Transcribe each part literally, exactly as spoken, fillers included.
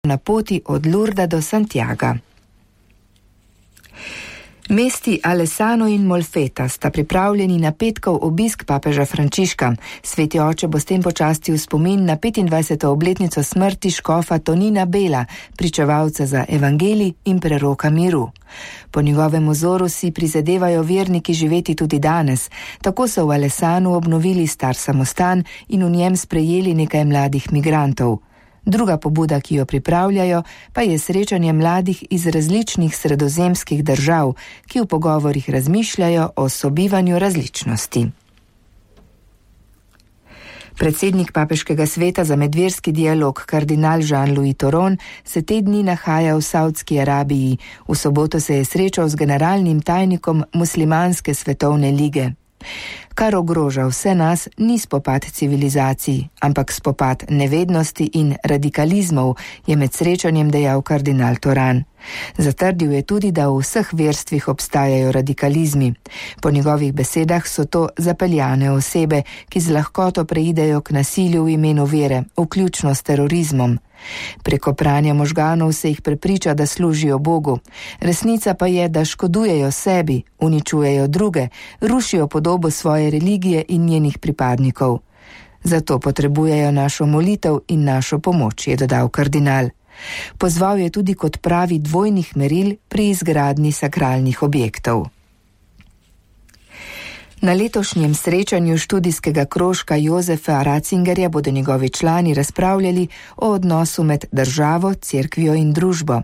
na poti od Lurda do Santiaga. Mesti Alessano in Molfeta sta pripravljeni na petkov obisk papeža Frančiška. Sveti oče bo s tem počastil spomin na petindvajseto obletnico smrti škofa Tonina Bela, pričevalca za evangelij in preroka miru. Po njegovem vzoru si prizadevajo verniki živeti tudi danes. Tako so v Alessanu obnovili star samostan in v njem sprejeli nekaj mladih migrantov. Druga pobuda, ki jo pripravljajo, pa je srečanje mladih iz različnih sredozemskih držav, ki v pogovorih razmišljajo o sobivanju različnosti. Predsednik Papeškega sveta za medverski dialog, kardinal Jean-Louis Thoron, se te dni nahaja v Saudski Arabiji. V soboto se je srečal z generalnim tajnikom Muslimanske svetovne lige. Kar ogroža vse nas, ni spopad civilizacij, ampak spopad nevednosti in radikalizmov, je med srečanjem dejal kardinal Thoron. Zatrdil je tudi, da v vseh verstvih obstajajo radikalizmi. Po njegovih besedah so to zapeljane osebe, ki z lahkoto preidejo k nasilju v imenu vere, vključno s terorizmom. Preko pranja možganov se jih prepriča, da služijo Bogu. Resnica pa je, da škodujejo sebi, uničujejo druge, rušijo podobo svoje religije in njenih pripadnikov. Zato potrebujejo našo molitev in našo pomoč, je dodal kardinal. Pozval je tudi k odpravi dvojnih meril pri izgradnji sakralnih objektov. Na letošnjem srečanju študijskega krožka Josefa Ratzingerja bodo njegovi člani razpravljali o odnosu med državo, cerkvijo in družbo.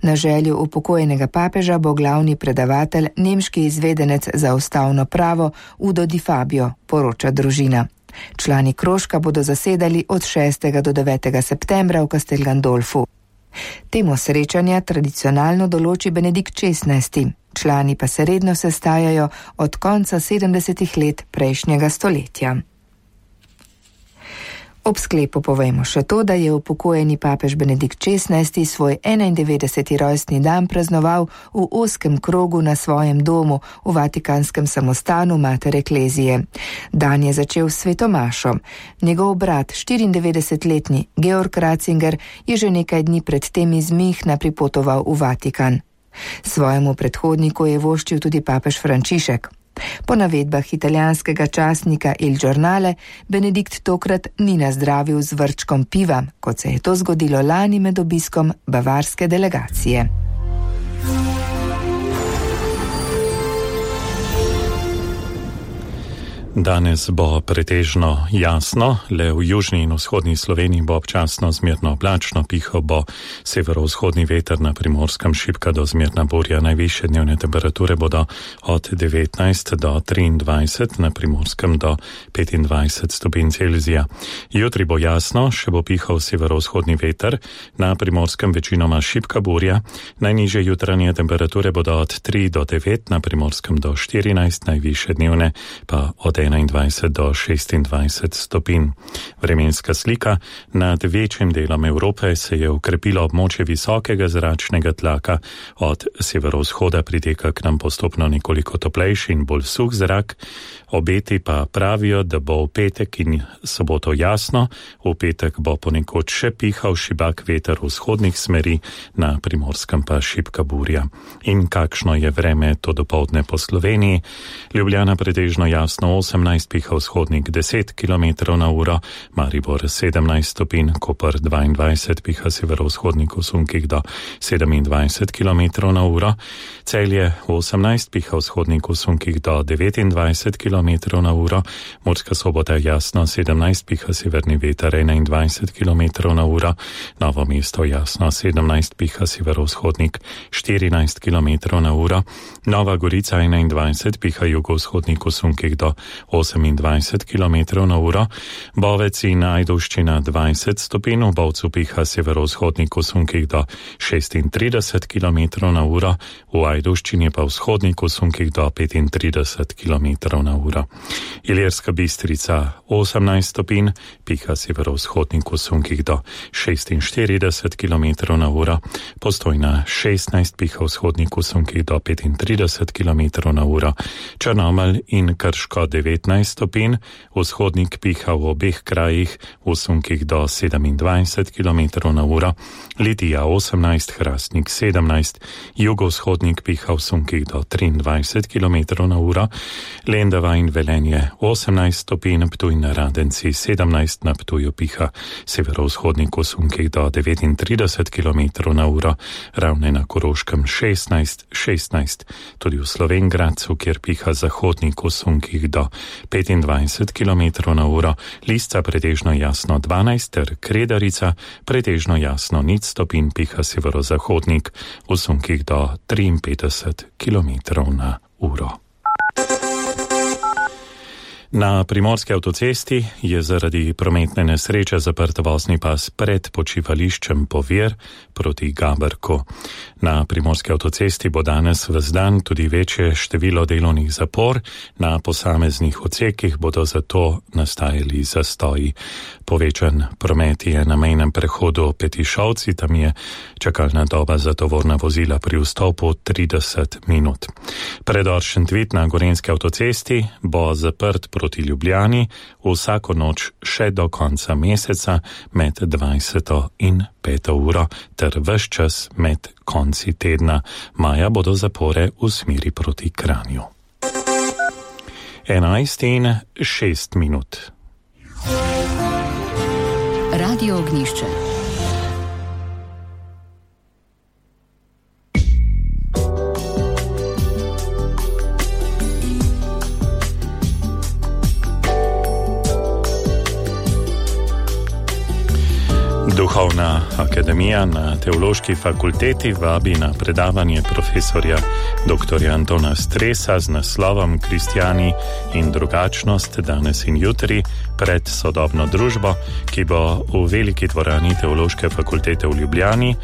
Na željo upokojenega papeža bo glavni predavatelj nemški izvedenec za ustavno pravo Udo Di Fabio, poroča družina. Člani krožka bodo zasedali od šestega do devetega septembra v Castel Gandolfu. Temo srečanja tradicionalno določi Benedikt šestnajsti. Člani pa se redno sestajajo od konca sedemdesetih let prejšnjega stoletja. Ob sklepu povejmo še to, da je upokojeni papež Benedikt šestnajsti svoj enaindevetdeseti rojstni dan praznoval v ozkem krogu na svojem domu v vatikanskem samostanu Mater Ecclesiae. Dan je začel s svetomašo. Njegov brat, štiriindevetdesetletni Georg Ratzinger, je že nekaj dni pred tem iz Münchna pripotoval v Vatikan. Svojemu predhodniku je voščil tudi papež Frančišek. Po navedbah italijanskega časnika Il Giornale, Benedikt tokrat ni nazdravil z vrčkom piva, kot se je to zgodilo lani med obiskom bavarske delegacije. Danes bo pretežno jasno, le v južni in vzhodni Sloveniji bo občasno zmerno oblačno, pihal bo severovzhodni veter, na Primorskem šibka do zmerna burja. Najvišje dnevne temperature bodo od devetnajst do triindvajset, na Primorskem do petindvajset stopinj Celzija. Jutri bo jasno, še bo pihal severovzhodni veter, na Primorskem večinoma šibka burja. Najnižje jutranje temperature bodo od tri do devet, na Primorskem do štirinajst, najvišje dnevne pa od enaindvajset do šestindvajset stopinj. Vremenska slika. Nad večjim delom Evrope se je ukrepilo območje visokega zračnega tlaka. Od severovzhoda priteka k nam postopno nekoliko toplejši in bolj suh zrak. Obeti pa pravijo, da bo v petek in soboto jasno. V petek bo ponekod še pihal šibak veter vzhodnih smeri, na Primorskem pa šibka burja. In kakšno je vreme to dopoldne po Sloveniji? Ljubljana pretežno jasno osemnajst, piha vzhodnik deset kilometrov na uro, Maribor sedemnajst stopinj, Koper dvaindvajset, piha severovzhodnik v sunkih do sedemindvajset kilometrov na uro, Celje osemnajst, piha vzhodnik v sunkih do devetindvajset kilometrov na uro, Murska Sobota jasno sedemnajst, piha severni veter enaindvajset kilometrov na uro, Novo mesto jasno sedemnajst, piha severovzhodnik štirinajst kilometrov na uro, Nova Gorica enaindvajset, piha jugovzhodnik v sunkih do osemindvajset kilometrov na uro, Bovec in Ajdovščina dvajset stopinj, v Bovcu piha severovzhodnik v sunkih do šestintrideset kilometrov na uro, v Ajdovščini pa vzhodnik v sunkih do petintrideset kilometrov na uro. Ilirska Bistrica osemnajst stopinj, piha severovzhodnik v sunkih do šestinštirideset kilometrov na uro, Postojna šestnajst, piha vzhodnik v sunkih do petintrideset kilometrov na uro, Črnomelj in Krško devet devetnajst stopinj, vzhodnik piha v obeh krajih v sunkih do sedemindvajset kilometrov na uro, Litija osemnajst, Hrastnik sedemnajst, jugovzhodnik piha v sunkih do triindvajset kilometrov na uro, Lendava in Velenje osemnajst stopinj, Ptuj na Radenci sedemnajst, na Ptuju piha severovzhodnik v sunkih do devetintrideset kilometrov na uro, Ravne na Koroškem šestnajst, šestnajst, tudi v Slovenj Gradcu, kjer piha zahodnik v sunkih do petindvajset kilometrov na uro, Lisca pretežno jasno dvanajst ter Kredarica pretežno jasno nič stopinj, piha severozahodnik v sunkih do triinpetdeset kilometrov na uro. Na primorski avtocesti je zaradi prometne nesreče zaprt vozni pas pred počivališčem Povir proti Gaberku. Na primorski avtocesti bo danes ves dan tudi večje število delovnih zapor, na posameznih odsekih bodo zato nastajali zastoji. Povečan promet je na mejnem prehodu Petišovci, tam je čakalna doba za tovorna vozila pri vstopu trideset minut. Predor Šentvid na gorenjski avtocesti bo zaprt proti Ljubljani vsako noč še do konca meseca med dvajseto in peto uro ter ves čas med konci tedna. Maja bodo zapore v smeri proti Kranju. enajst in šest minut. Radio Ognjišče. Duhovna akademija na Teološki fakulteti vabi na predavanje profesorja dr. Antona Stresa z naslovom Kristjani in drugačnost danes in jutri pred sodobno družbo, ki bo v veliki dvorani Teološke fakultete v Ljubljani